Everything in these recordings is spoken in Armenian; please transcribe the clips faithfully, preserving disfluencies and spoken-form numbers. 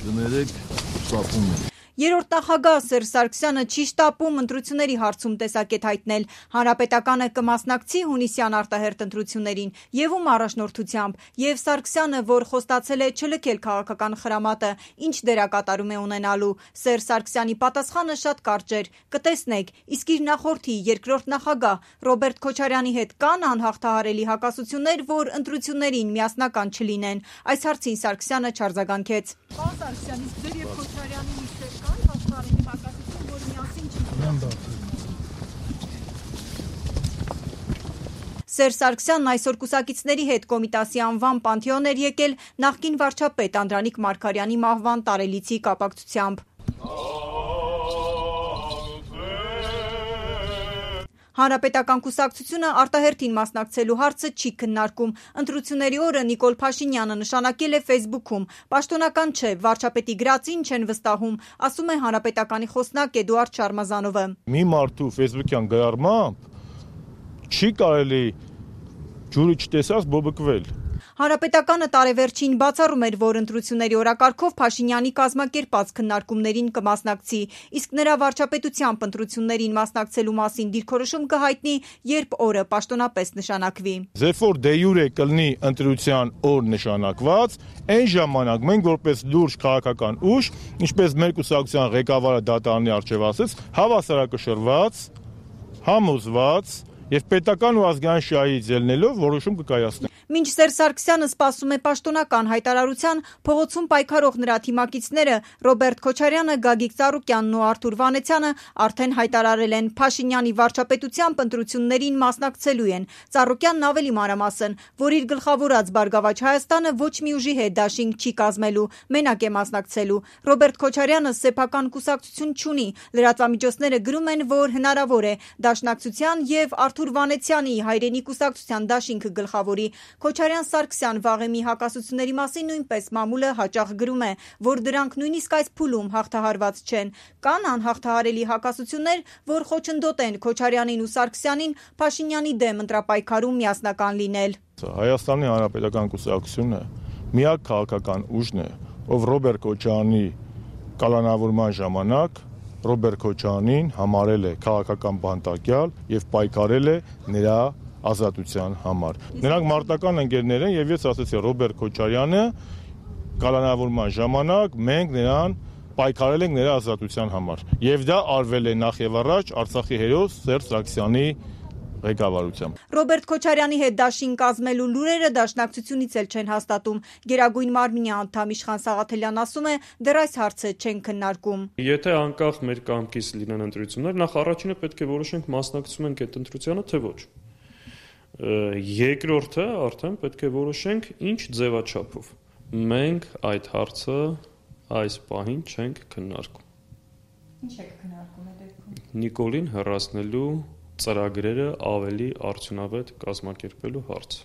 կներեք, շտապում ենք։ Երրորդ նախագահ Սերժ Սարգսյանը չի շտապում ընտրությունների հարցում տեսակետ հայտնել։ Հանրապետականը կմասնակցի հունիսյան արտահերթ ընտրություններին եւ ում առաջնորդությամբ, եւ Սարգսյանը, որ խոստացել է չլքել քաղաքական խրամատը, ինչ դերակատարում է ունենալու։ Սերժ Սարգսյանի պատասխանը շատ կարճ էր. կտեսնեք, իսկ իր նախորդի երկրորդ նախագահ Ռոբերտ Քոչարյանի հետ կան անհաղթահարելի հակասություններ, որ ընտրություններին միասնական չլինեն։ Այս հարցին Սարգսյանը չարձագանքեց։ Պարոն Սարգսյան, իսկ ձեր եւ Քոչարյանի միջեւ կան հաղթահարելի հակասություն, որ միասին չլինեն։ Սերժ Սարգսյանն այսօր կուսակիցների հետ Կոմիտասի անվան Պանթեոն էր եկել նախկին վարչապետ Անդրանիկ Մարգարյանի մահվան տարելիցի կապակցությամբ։ Հանրապետական կուսակցությունը արտահերթին մասնակցելու հարցը չի քննարկում։ Ընտրությունների օրը Նիկոլ Փաշինյանը նշանակել է Facebook-ում. «Պաշտոնական չէ, վարչապետի գրածին չեն վստահում», ասում է Հանրապետականի խոսնակ Էդուարդ Շարմազանովը։ Մի մարդու Facebook-յան գրառմամբ չի կարելի ջուրը չտեսած բոբկվել։ Հանրապետականը տարեվերջին բացառում էր, որ ընտրությունների օրակարգով Փաշինյանի կազմակերպած քննարկումներին կմասնակցի, իսկ նրա վարչապետությամբ ընտրություններին մասնակցելու մասին դիրքորոշում կհայտնի, երբ օրը պաշտոնապես նշանակվի։ Երբ որ դե յուրե կլինի ընտրության օր նշանակված, այն ժամանակ մենք որպես լուրջ քաղաքական ուժ, ինչպես մեր կուսակցության ղեկավարը դատարանի առջև ասեց, հավասարակշռված, համոզված եւ պետական ու ազգային շահից ելնելով որոշում կկայացնենք։ Մինչ Սերժ Սարգսյանը սպասում է պաշտոնական հայտարարության, փողոցում պայքարող նրա թիմակիցները Ռոբերտ Քոչարյանը, Գագիկ Ծառուկյանն ու Արթուր Վանեցյանը արդեն հայտարարել են Փաշինյանի վարչապետությամբ ընտրություններին մասնակցելու են։ Ծառուկյանն ավելի մանրամասն, որ իր գլխավորած Բարգավաճ Հայաստանը ոչ մի ուժի հետ դաշինք չի կազմելու, մենակ է մասնակցելու։ Ռոբերտ Քոչարյանը սեփական կուսակցություն չունի։ Լրատվամիջոցները գրում են, որ հնարավոր է Դաշնակցության եւ Արթուր Վանեցյանի հայրենի կուսակցության դաշինքը գլխավորի։ Քոչարյան-Սարգսյան վաղեմի հակասությունների մասին նույնպես մամուլը հաճախ գրում է, որ դրանք նույնիսկ այս փուլում հաղթահարված չեն։ Կան անհաղթահարելի հակասություններ, որ խոչընդոտեն Քոչարյանին ու Սարգսյանին Փաշինյանի դեմ ընտրապայքարում միասնական լինել։ Հայաստանի Հանրապետական կուսակցությունը միակ քաղաքական ուժն է, ով Ռոբերտ Քոչարյանի կալանավորման ժամանակ Ռոբերտ Քոչարյանին համարել է քաղաքական բանտարկյալ եւ պայքարել է նրա ազատության համար։ Նրանք մարտական ընկերներ են եւ ես ասացի Ռոբերտ Քոչարյանը կալանավորման ժամանակ մենք նրան պայքարել ենք նրա ազատության համար։ Եվ դա արվել է նախ եւ առաջ Արցախի հերոս Սերժ Սարգսյանի ղեկավարությամբ։ Ռոբերտ Քոչարյանի հետ դաշին կազմելու լուրերը Դաշնակցությունից էլ չեն հաստատում։ Գերագույն մարմնի անդամ Իշխան Սաղաթելյան ասում է, դեռ այս հարցը չեն քննարկում։ Եթե անկախ մեր կամքից լինեն ընտրություններ, նախ առաջինը պետք է որոշենք մասնակցում ենք այդ ընտրությանը, թե ոչ։ Երկրորդը արդեն պետք է որոշենք ինչ ձևաչափով։ Մենք այդ հարցը այս պահին չենք քննարկում։ Ինչ եք քննարկում այդ դեպքում։ Նիկոլին հեռացնելու ծրագրերը ավելի արդյունավետ կազմակերպելու հարց։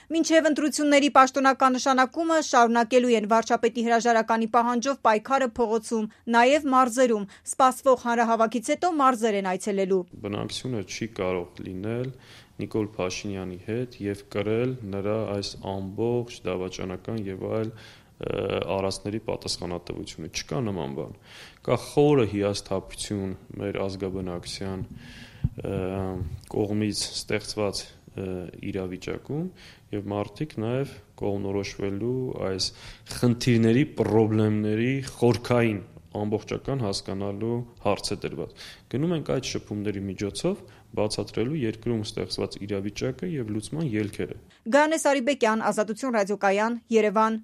Մինչև ընտրությունների պաշտոնական նշանակումը շարունակելու են վարչապետի հրաժարականի պահանջով պայքարը փողոցում, նաև մարզերում։ Սպասվող հանրահավաքից հետո մարզեր են այցելելու։ Բնակչությունը չի կարող լինել Նիկոլ Փաշինյանի հետ եւ կրել նրա այս ամբողջ դավաճանական եւ այլ արածների պատասխանատվությունը։ Չկա նման բան։ Կա խորը հիասթափություն մեր ազգաբնակության կողմից ստեղծված իրավիճակում եւ մարդիկ նաեւ կողմնորոշվելու այս խնդիրների, խնդիրների խորքային ամբողջական հասկանալու հարց է դրված։ Գնում ենք այդ շփումների միջոցով բացատրելու երկրում ստեղծված իրավիճակը եւ լուծման ելքերը։ Գանես Արիբեկյան, Ազատություն ռադիոկայան, Երևան։